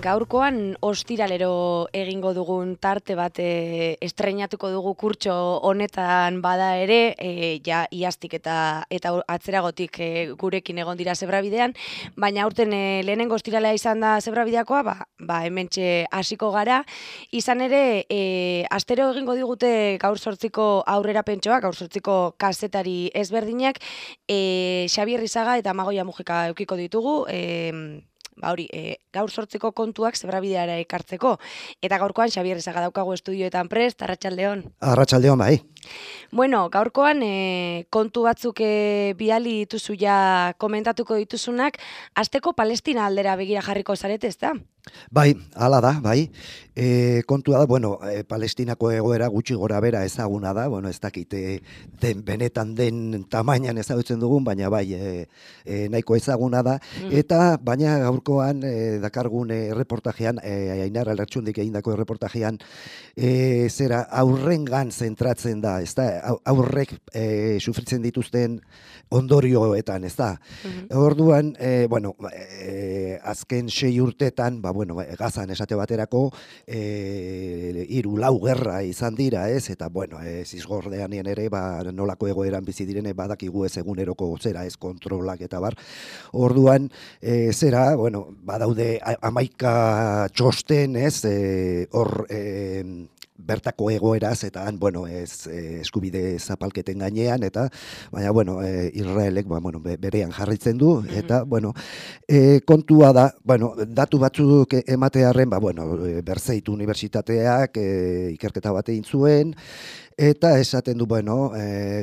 Gaurkoan ostiralero egingo dugun tarte bat estreinatuko dugu kurtso honetan bada ere, ja iaztik eta atzeragotik gurekin egon dira Zebrabidean, baina aurten lehenengo ostiralea izan da Zebrabideakoa, hementxe hasiko gara. Izan ere, astero egingo digute gaur 8 aurrerapentxoak, gaur 8 kazetari ezberdinak, Xabier Rizaga eta Amagoia Mujika eukiko ditugu, gaur 8 kontuak Zebrabideara ekartzeko. Eta gaurkoan Xabier Rizaga daukagu estudioetan prest, arratsaldeon. Arratsaldeon, bai. Bueno, gaurkoan kontu batzuk bidali dituzu ja komentatuko dituzunak, hasteko Palestina aldera begira jarriko zarete, ezta? Bai, hala da, bai. Kontua da, Palestinako egoera gutxi gora bera ezaguna da, ez dakite benetan den tamainan ezagutzen dugun, baina bai, nahiko ezaguna da. Eta, baina gaurkoan dakargun reportajean, Ainara Lertxundik egindako reportajean, zera aurrengan zentratzen da, ez da, aurrek sufritzen dituzten ondorioetan, ez da. Orduan, azken 6 urtetan, Gazan esate baterako, 3-4 gerra izan dira, ez? Eta, zizgordeanien ere, nolako egoeran bizi direne, badakigu ez eguneroko zera, ez kontrolak eta bar. Orduan, badaude 11 txosten, ez? Hor, bertako egoeraz eta eskubide zapalketen gainean eta baina Israelek berean jarritzen du eta kontua da datu batzuk ematearren Berzeit Unibertsitateak ikerketa bat egin zuen eta esaten du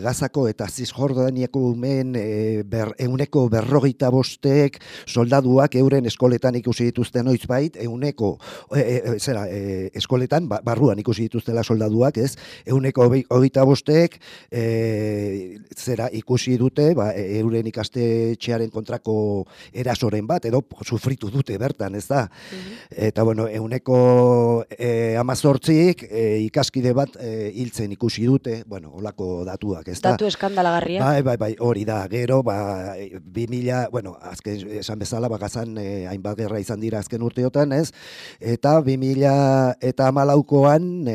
Gazako eta Zisjordaniako umeen 145 soldaduak euren eskoletan ikusi dituzten noizbait eskoletan barruan ikusi dituztela soldaduak, ez? 125 ikusi dute, euren ikastetxearen kontrako erasoren bat, edo sufritu dute bertan, ez da? Eta, 118 ikaskide bat hiltzen ikusi dute, holako datuak, ez da? Datu eskandalagarria. Bai, hori da, gero, 2000, azken esan bezala, Gazan hainbat gerra izan dira azken urteotan, ez? Eta 2014an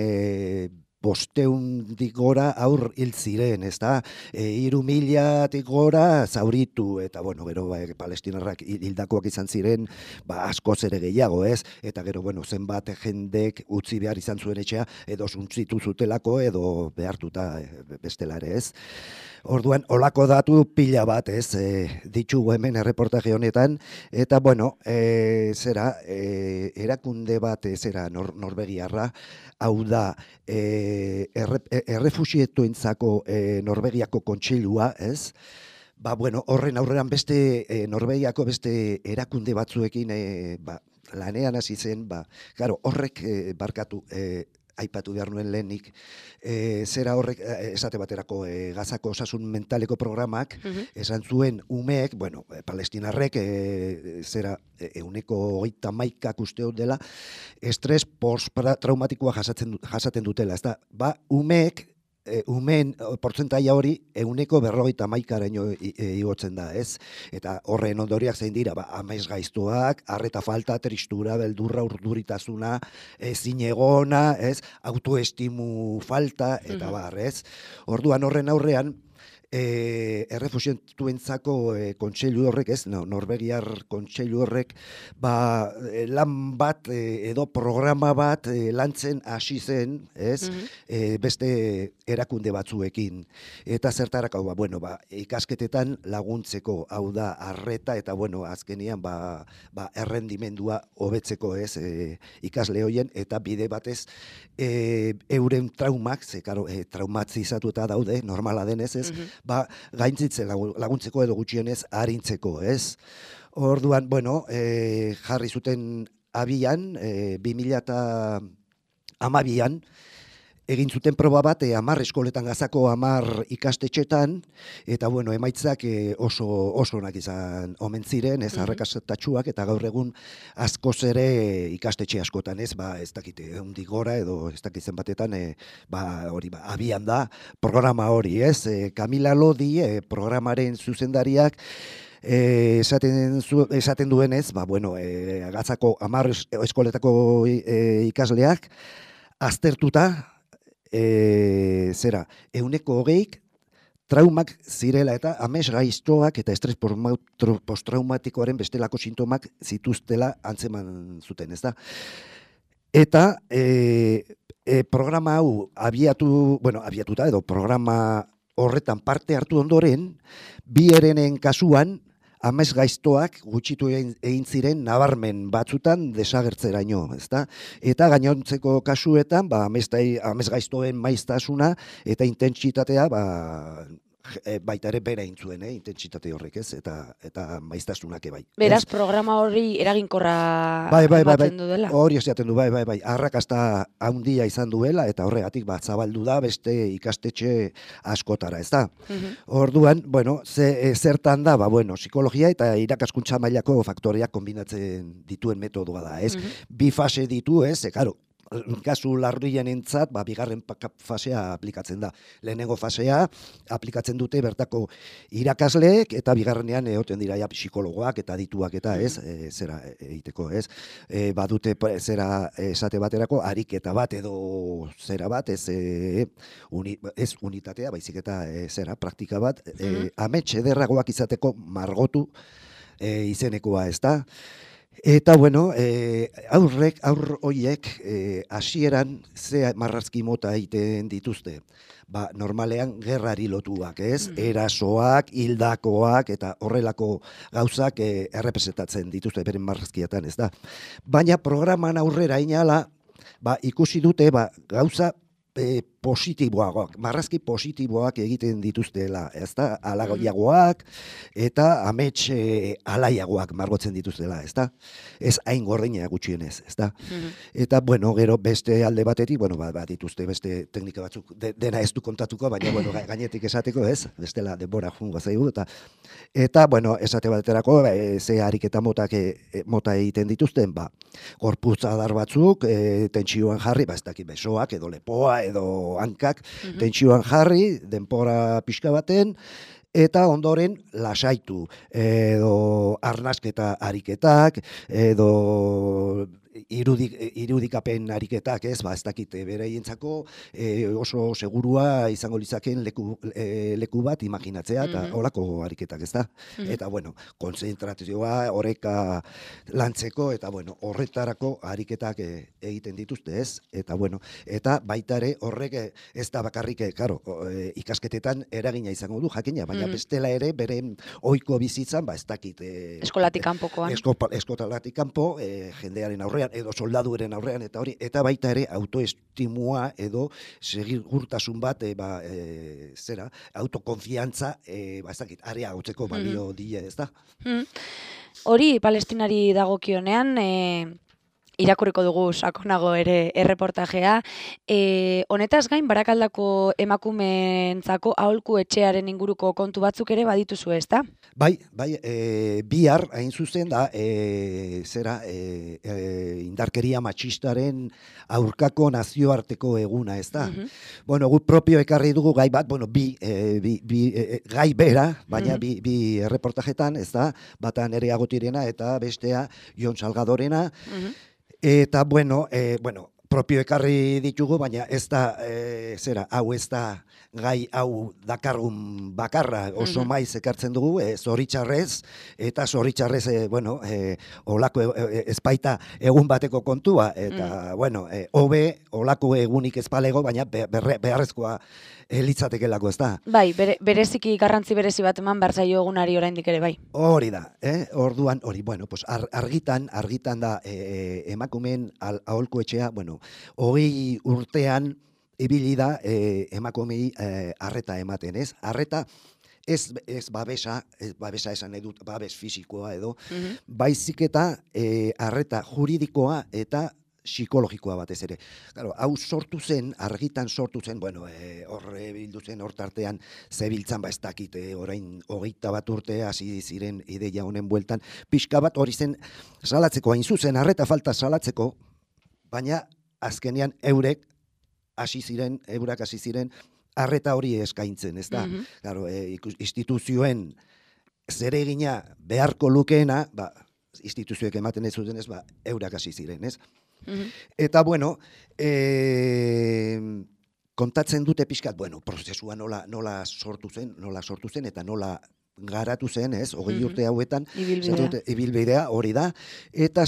500 gora aur hil ziren, ez da? 3.000 gora zauritu, eta gero palestinarrak hildakoak izan ziren, askoz ere gehiago, ez? Eta gero, zenbat jendek utzi behar izan zuen etxea, edo suntzitu zutelako, edo behartuta bestela ere, ez? Orduan, olako datu pila bat, ez, ditugu hemen erreportaje honetan, eta, erakunde bat, Norvegiarra, hau da, errefusietuentzako Norvegiako kontseilua, ez? Horren aurreran beste Norvegiako beste erakunde batzuekin lanean hasi zen, horrek barkatu, aipatu behar nuen lehenik, zera horrek, esate baterako Gazako osasun mentaleko programak, esan zuen umeek, palestinarrek, 131 uste dela, estres post-traumatikoa jasaten dutela, ez da, umeek, umeen portzentaia hori 151raino igotzen da, ez? Eta horren ondoriak zein dira, amesgaiztuak, arreta falta, tristura, beldurra, urduritasuna, ezinegona, ez? Autoestimu falta, eta ez? Orduan horren aurrean, errefusientuentzako kontseilu horrek, ez, Norvegiar kontseilu horrek, lan bat edo programa bat lantzen hasi zen, ez, beste erakunde batzuekin. Eta zertarako, ikasketetan laguntzeko, hau da, arreta, eta, azkenian, errendimendua hobetzeko, ez, ikasle hoien, eta bide batez, euren traumak, traumatizatuta daude, normala denez, ez, gaintzitzen laguntzeko edo gutxienez arintzeko, ez? Orduan, jarri zuten abian, 2012an, egin zuten proba bat 10 eskoletan Gazako 10 ikastetxetan, eta emaitzak oso onak izan omen ziren, ez arrakastatsuak, eta gaur egun askoz ere ikastetxe askotan, ez dakite, 100 gora edo ez dakitzen batetan, abian da programa hori, ez? Kamila Lodi, programaren zuzendariak, esaten duenez, bueno, Gatzako 10 eskoletako ikasleak aztertuta, 120 traumak zirela eta amesgaiztoak eta estres posttraumatikoaren bestelako sintomak zituztela antzeman zuten, ezta? Eta programa hau abiatuta edo programa horretan parte hartu ondoren, bi herenen kasuan amesgaiztoak gutxitu egin ziren nabarmen batzutan desagertzeraino, ezta? Eta gainontzeko kasuetan, amesgaiztoen maiztasuna eta intentsitatea, baita ere bera egin zuen, intentsitate horrek, ez? Eta maiztasunak bai. Beraz, programa hori eraginkorra ematen du dela. Hori esaten du, bai. Arrakasta handia izan duela eta horregatik zabaldu da beste ikastetxe askotara, ez da? Orduan, zertan da, psikologia eta irakaskuntza mailako faktoreak kombinatzen dituen metodoa da, ez? Bi fase ditu, ez? Karo, kasu larrienentzat, bigarren fasea aplikatzen da. Lehenengo fasea aplikatzen dute bertako irakasleek eta bigarrenean egoten dira psikologoak eta adituak eta ez, zera egiteko, ez. Badute zera esate baterako ariketa bat edo zera bat, ez unitatea, baizik eta zera praktika bat, amets ederragoak izateko margotu izenekoa, ez da. Eta, aur horiek hasieran ze marrazki mota egiten dituzte. Normalean gerrari lotuak, ez? Erasoak, hildakoak eta horrelako gauzak errepresentatzen dituzte beren marrazkietan, ez da? Baina programan aurrera inala, ikusi dute gauza positiboagoak, marrazki positiboak egiten dituztela, ezta? Alagoiagoak eta amets alaiagoak margotzen dituztela, ezta? Ez hain gordina gutxienez, ezta? Eta, gero beste alde batetik, dituzte beste teknika batzuk, dena ez du kontatuko, baina, gainetik esateko, ez? Bestela denbora jungo zaigu, eta, esate baterako, ze ariketa mota egiten dituzten, gorputz adar batzuk, tentsioan jarri, ez dakit besoak, edo lepoa, edo hankak, tentsioan jarri, denpora pixka baten, eta ondoren lasaitu, edo arnasketa ariketak, edo irudikapen ariketak, ez dakit beraientzako oso segurua izango litzakeen leku bat imaginatzea, eta holako ariketak, ez da? Eta, konzentrazioa, oreka lantzeko, eta, horretarako ariketak egiten dituzte, ez? Eta, eta baita ere horrek ez da bakarrik, ikasketetan eragina izango du, jakina, baina bestela ere beren ohiko bizitzan, ez dakit... Eskolatik kanpokoan. Eskolatik kanpo, jendearen aurrean, edo soldaduren aurrean, eta hori, eta baita ere autoestimua edo segurtasun bat, autokonfiantza, ez dakit, areagotzeko balio die, ez da? Hori, Palestinari dagokionean, irakurriko dugu sakonago ere erreportajea. Honetaz gain, Barakaldako emakumeentzako aholku etxearen inguruko kontu batzuk ere badituzu, ez da? Bai, bihar hain zuzen da, indarkeria matxistaren aurkako nazioarteko eguna, ez da? Gu propio ekarri dugu gai bat, gai bera, baina bi erreportajetan, ez da? Bata Nerea Gotirena eta bestea Jon Salgadorena, eta, propio ekarri ditugu, baina ez da, hau ez da gai hau dakargun bakarra, oso maiz ekartzen dugu, zoritxarrez, eta zoritxarrez, olako ezpaita egun bateko kontua, eta, hobe, olako egunik ezpalego, baina beharrezkoa litzatekelako, ez da? Bai, bereziki garrantzi berezi bat eman behar zaio egunari oraindik ere, bai. Hori da, orduan, argitan da emakumeen aholku etxea, 20 urtean ibili da emakumei arreta ematen, ez? Arreta ez babesa esan nahi dut, babes fisikoa edo, baizik eta arreta juridikoa eta psikologikoa batez ere. Claro, hau argitan sortu zen, horre bildu zen hortartean zebiltzan, ez dakit, orain 21 urte hasi ziren ideia honen bueltan, pixka bat hori zen salatzeko, hain zuzen, arreta falta salatzeko, baina azkenean eurak hasi ziren arreta hori eskaintzen, ez da? Claro, instituzioen zeregina beharko lukeena, instituzioek ematen ez zutenez, eurak hasi ziren, ez? Eta, bueno, kontatzen dute pixkat, prozesua nola sortu zen, eta nola garatu zen, ez, 20 urte hauetan, ibilbidea hori da, eta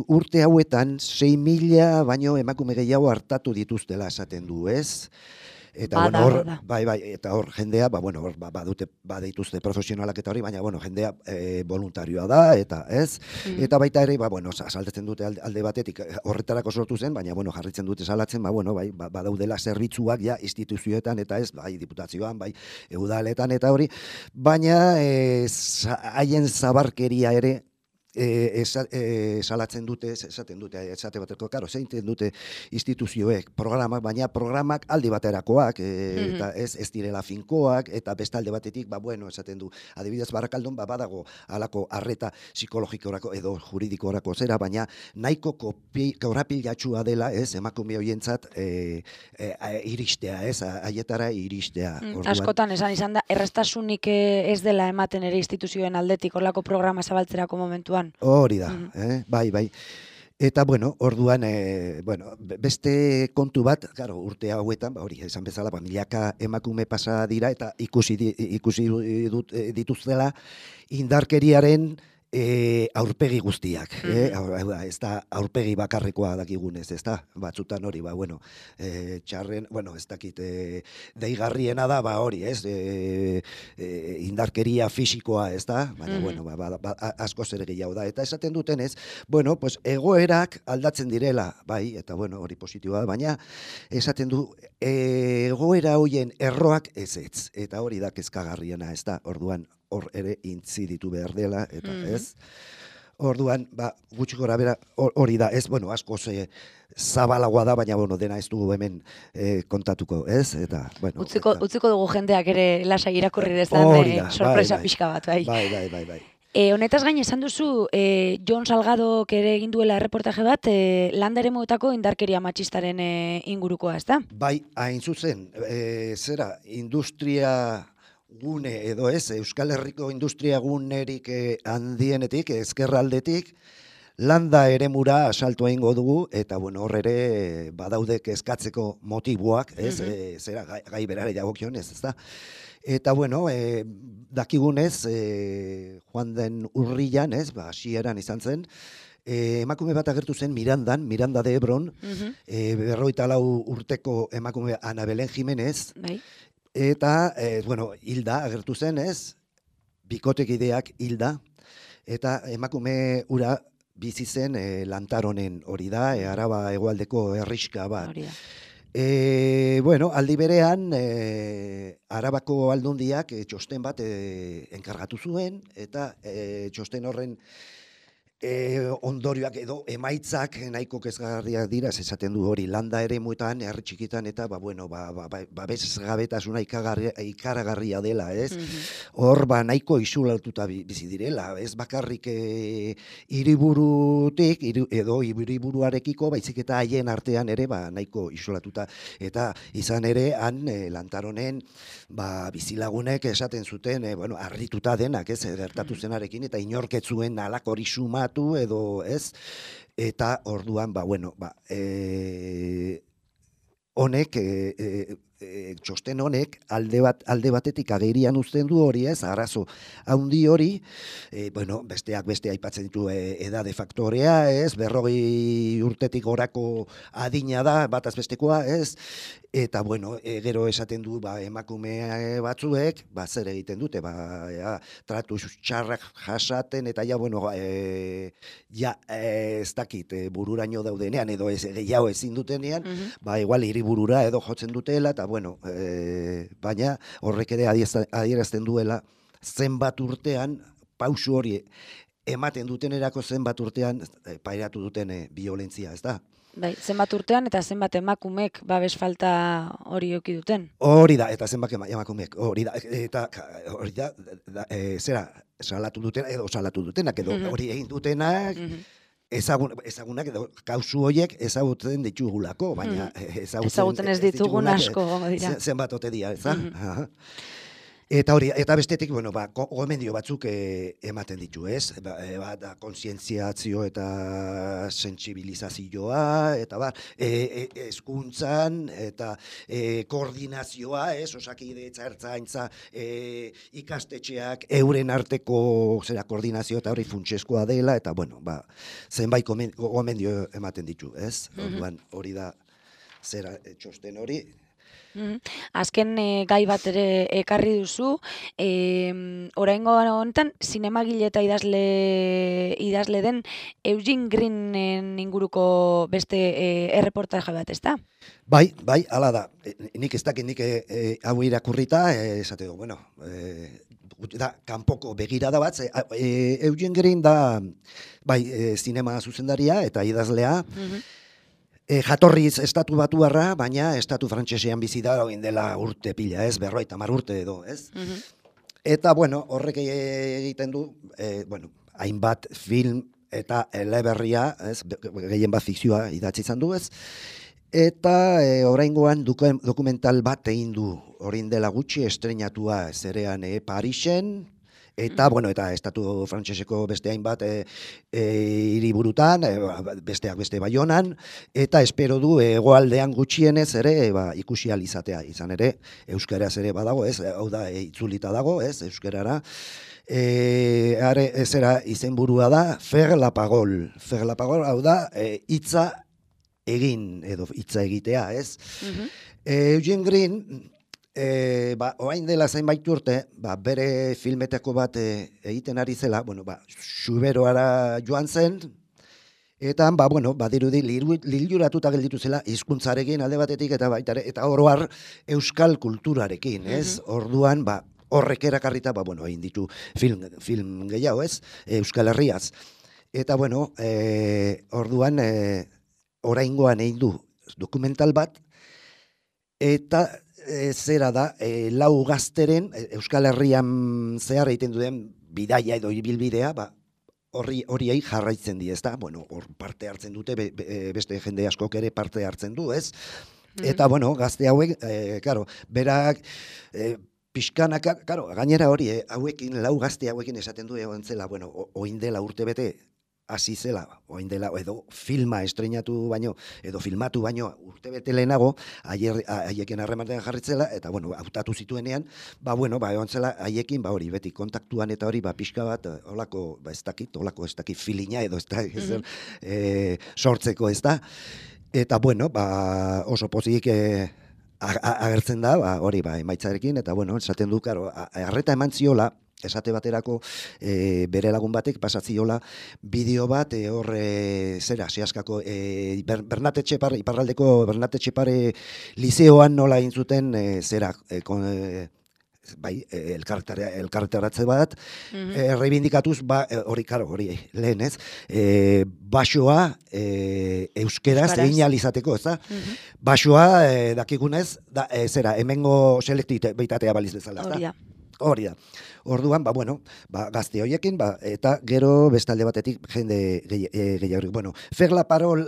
urte hauetan 6.000 baino emakume gehiago hartatu dituztela esaten du, ez? Eta eta hor jendea, badituzte profesionalak eta hori, baina jendea voluntarioa da, eta ez? Eta baita ere, saltetzen dute alde batetik horretarako sortu zen, baina jarritzen dute salatzen, badaudela zerbitzuak ja instituzioetan eta ez, bai diputazioan, bai udaletan eta hori, baina haien zabarkeria ere salatzen dute, esate bateko, karo, zeinten dute instituzioek programak, baina programak aldi baterakoak, eta ez direla finkoak, eta beste alde batetik, esaten du, adibidez Barakaldon, badago alako arreta psikologikorako edo juridikorako zera, baina nahiko korapilatxua dela, ez, emakume horientzat iristea, ez, haietara iristea. Askotan, izan da, errestasunik ez dela ematen ere instituzioen aldetik, horlako programa zabaltzerako momentuan. Hori da, bai. Eta, orduan, beste kontu bat, urte hauetan, hori, esan bezala, milaka emakume pasa dira, eta ikusi dituztela indarkeriaren aurpegi guztiak, ez da aurpegi bakarrekoa dakigunez, ez da, batzutan hori, txarren, ez dakit, deigarriena da, hori, ez, indarkeria fisikoa, ez da, baina, asko zer gehiago da, eta esaten duten ez, egoerak aldatzen direla, bai, eta hori positiboa, baina esaten du, egoera hoien erroak ez, eta hori da kezkagarriena, ez da, orduan, hor ere intziditu behar dela, eta ez. Orduan, gutxi gora bera hori da, ez, asko zabalagoa da, baina, dena ez dugu hemen kontatuko, ez, eta, Utziko dugu jendeak ere lasai irakurri dezan, sorpresa pixka bat, bai. Bai. Honetaz gain esan duzu, Jon Salgadok ere egin duela erreportaje bat, landa eremuetako indarkeria matxistaren ingurukoa, ez da? Bai, hain zuzen, industria gune edo ez, Euskal Herriko industria gunerik handienetik, ezkerraldetik, landa eremura asaltu egingo dugu, eta hor ere badaude kezkatzeko motiboak, ez, gai berare dagokion ez da. Eta dakigunez, joan den urrian, ez, hasieran izan zen, emakume bat agertu zen Mirandan, Miranda de Ebron, 54 urteko emakume Ana Belen Jimenez, eta, hilda agertu zen, ez, bikotekideak hilda, eta emakume ura bizi zen Lantaronen hori da, Araba hegoaldeko herrixka bat. Aldi berean, Arabako aldundiak txosten bat enkargatu zuen, eta txosten horren ondorioak edo emaitzak nahiko kezgarriak dira, esaten du hori landa eremuetan, herri txikitan, eta babesgabetasuna ikaragarria dela, ez? Hor nahiko isolatuta bizi direla, ez bakarrik hiriburutik edo hiriburuarekiko, baizik eta haien artean ere nahiko isolatuta, eta izan ere han Lantaronen bizilagunek esaten zuten, harrituta denak, ez, gertatu zenarekin, eta inorketzuen alako hori suma edo ez, eta orduan, honek, txosten honek, alde batetik agerian uzten du hori ez, arazo haundi hori, besteak beste aipatzen ditu edade faktorea, ez, 40 urtetik gorako adina da, bataz bestekoa, ez, eta, gero esaten du, emakume batzuek, zer egiten dute, tratu txarrak jasaten, eta ez dakit, bururaino daudenean, edo gehiago ezin dutenean, igual hiriburura edo jotzen dutela, eta baina horrek ere adierazten duela zenbat urtean, pausu hori ematen dutenerako zenbat urtean pairatu duten biolentzia, ez da? Bai, zenbat urtean eta zenbat emakumek babes falta hori eduki duten? Hori da, eta zenbat emakumek, hori da, salatu dutenak, edo hori egin dutenak, ezagunak edo kausu horiek ezagutzen ditugulako, baina ezagutzen ez ditugun asko gongo dira. Zenbat ote dira, ez da? Eta hori, eta bestetik, bueno, gomendio batzuk ematen ditu, ez? Da kontzientziazio eta sentsibilizazioa, eta hezkuntzan eta koordinazioa, ez? Osakidetza, ertzaintza, ikastetxeak euren arteko koordinazio eta hori funtsezkoa dela, eta bueno, zenbait gomendio ematen ditu, ez? Orduan, hori da txosten hori. Azken gai bat ere ekarri duzu, oraingo honetan zinemagile eta idazle den Eugene Greenen inguruko beste erreportaje bat, ezta? Bai, hala da. Nik ez dakit nik hau irakurrita, esate du, bueno, da, kanpoko begirada bat, Eugene Green da, bai, zinema zuzendaria eta idazlea, jatorriz estatu batuarra, baina estatu frantsesean bizi da orain dela urte pila, ez, 50 urte edo, ez? Eta, bueno, horrek egiten du, bueno, hainbat film eta eleberria, ez, gehien bat fikzioa idatzi izan du, ez? Eta oraingoan dokumental bat egin du, orain dela gutxi estreinatua zerean Parisen, eta, bueno, eta estatu frantseseko beste hainbat hiriburutan, besteak beste Baionan, eta espero du hegoaldean gutxienez ere ikusi ahal izatea, izan ere, euskaraz ere badago, ez, hau da, itzulita dago, ez, euskarara, zera izenburua da, Faire la parole, hau da, hitza egin, edo hitza egitea, ez? Eugene Green, orain dela zenbait urte, bere filmetako bat egiten ari zela, bueno, Xuberoara joan zen, eta, bueno, badirudi liluratuta gelditu zela hizkuntzarekin alde batetik eta oro har euskal kulturarekin, ez? Orduan, horrek erakarrita, bueno, egin ditu film gehiago, ez? Euskal Herriaz. Eta, bueno, orduan, oraingoan egin du dokumental bat, eta zera da, lau gazteren, Euskal Herrian zehar egiten duen bidaia edo ibilbidea, horiei jarraitzen di, ezta? Bueno, hor parte hartzen dute, beste jende askok ere parte hartzen du, ez? Eta, bueno, gazte hauek, karo, berak, pixkanaka, karo, gainera hori, hauekin, lau gazte hauekin esaten du egon zela, bueno, oin dela urte bete, hasi zela, oin dela, edo filma estreinatu baino, edo filmatu baino urtebete lehenago, haiekin harremanean jarritzela, eta, bueno, hautatu zituenean, bueno, egon zela haiekin, hori, beti kontaktuan eta hori, pixka bat, holako, ez dakit filina, edo ez da, sortzeko, ez da, eta, bueno, oso pozik agertzen da, hori, emaitzarekin, eta, bueno, esaten du, karo, arreta eman ziola, esate baterako bere lagun batek pasatziola bideo bat zera, sehaskako Bernat Etxepare, iparraldeko Bernat Etxepare lizeoan nola egin zuten zera, elkarretaratze bat, reibindikatuz, hori lehen ez, basoa euskeraz egin ahal izateko, ez da? Basoa, dakigunez, zera, hemengo selektibitatea baliz bezala, ez da? Hori da. Orduan, bueno, gazte horiekin, eta gero bestalde batetik jende gehiagorik. Bueno, Faire la parole,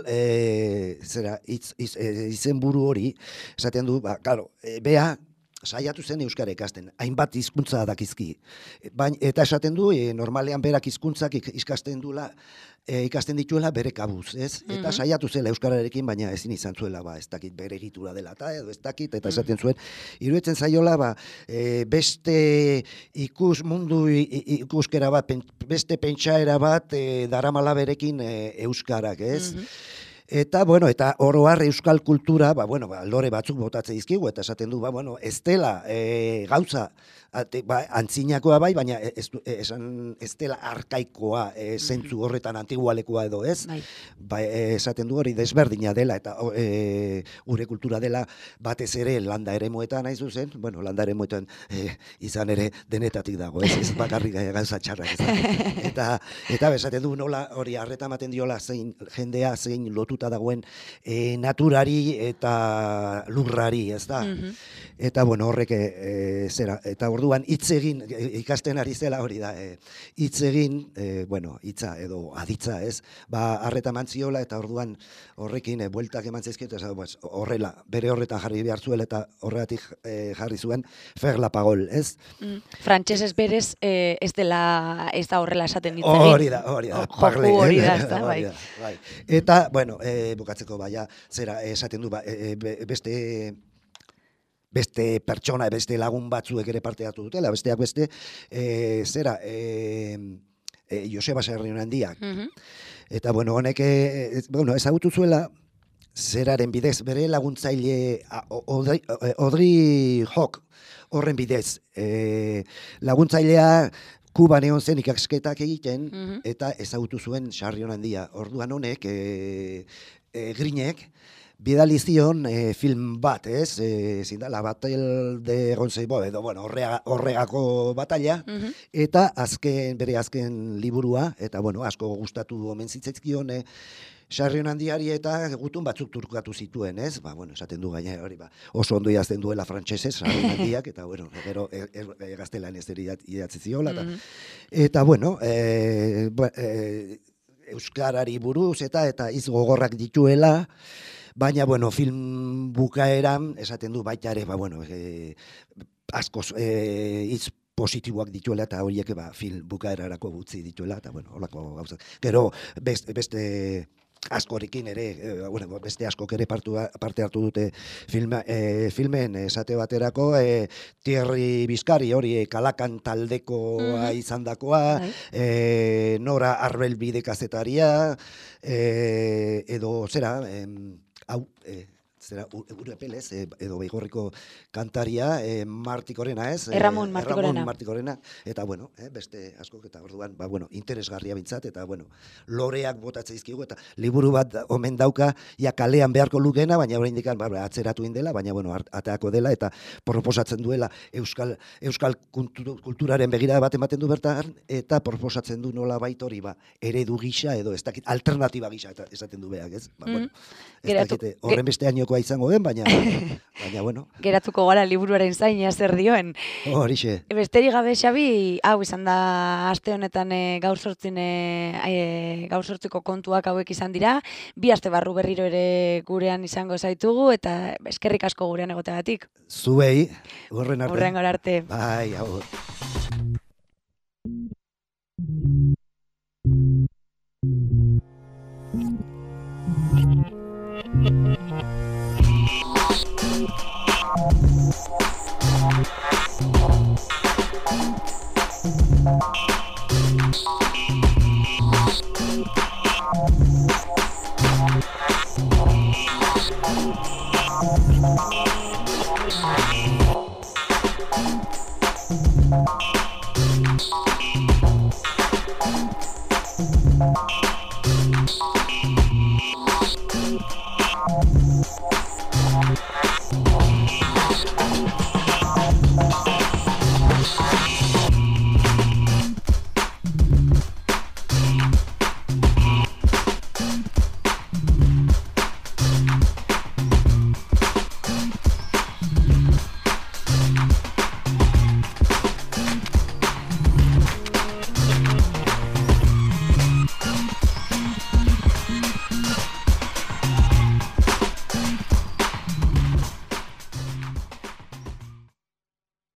zera, izenburu hori, esaten du, claro, bea, saiatu zen euskara ikasten, hainbat hizkuntza dakizki. Eta esaten du, normalean berak hizkuntzak ikasten dituela bere kabuz, ez? Eta saiatu zela euskararekin, baina ezin izan zuela, ez dakit bere egitura dela, edo ez dakit, eta esaten zuen, iruditzen zaiola, beste mundu ikuskera bat, beste pentsaera bat, daramala berekin euskarak, ez? Eta, bueno, eta oro har euskal kultura, lore batzuk botatzen dizkigu, eta esaten du, ez dela gauza, antzinakoa bai, baina ez dela arkaikoa, zentzu horretan antigualekoa edo ez, esaten du hori desberdina dela, eta gure kultura dela batez ere landa eremuetan nahi zuzen, landa eremuetan izan ere denetatik dago, ez bakarrik gauza txarrak ez. Eta esaten du nola hori arreta ematen diola jendea zein lotuta dagoen naturari eta lurrari, ez da? Eta, horrek zera, eta orduan hitz egin, ikasten ari zela hori da, hitz egin, bueno, hitza edo aditza, ez? Arreta mantziola eta orduan horrekin bueltak eman zaizkiot, horrela, bere horretan jarri behar zuela eta horregatik jarri zuen fer la pagol, ez? Frantsesez berez ez da horrela esaten hitz egin. Hori da, parle. Hori da, ez da, bai. Eta, bueno, bukatzeko baia, zera, esaten du, beste pertsona, beste lagun batzuek ere parte hartu dutela, besteak beste, zera, Joseba Sarrionandiak. Eta, bueno, honek, ezagutu zuela, zeraren bidez, bere laguntzaile Audrey Hawk horren bidez. Laguntzailea Kuban egon zen ikasketak egiten, eta ezagutu zuen Sarrionandia. Orduan honek, Grinek, bidali zion film bat, ez? Zin da, La Battle de Roncesvalles, edo, bueno, horregako batalla, eta bere azken liburua, eta, bueno, asko gustatu omen zitzaizkion, Sarrionandiari eta gutun batzuk turkatu zituen, ez? Bueno, esaten du gaina hori, oso ondo idazten duela frantsesez, Sarrionandiak, eta, bueno, gero gaztelanez idatzi ziola, eta, bueno, euskarari buruz eta hitz gogorrak dituela, baina, bueno, film bukaeran esaten du baita ere, bueno, askoz hitz positiboak dituela eta horiek film bukaerarako gutzi dituela, eta, bueno, holako gauza. Gero, beste askorekin ere, beste askok ere parte hartu dute filmen esate baterako, Thierry Bizkari hori Kalakan taldekoa izandakoa, Nora Arbelbide kazetaria, edo zera, hau, Urepelez, edo Beigorriko kantaria, Martikorena, ez? Ramon Martikorena. Eta, bueno, beste askok, eta orduan, interesgarria bintzat, eta, bueno, loreak botatzen izkigu, eta liburu bat omen dauka, ja kalean beharko lukena, baina oraindik atzeratu indela, baina, bueno, ateako dela, eta proposatzen duela euskal kulturaren begirada bat ematen du bertan, eta proposatzen du nola bait hori, eredu gisa, edo ez dakit, alternatiba gisa, esaten du beak, ez? Bueno, ez dakit, horren beste ainokoa izango den, baina, bueno. Geratuko gara liburuaren zaina zer dioen. Horixe. Besterik gabe, Xabi, hau izan da aste honetan gaur sortziko kontuak hauek izan dira. 2 aste barru berriro ere gurean izango zaitugu, eta eskerrik asko gurean egoteagatik. Zuei, hurren arte. Hurren arte. Bai, hau.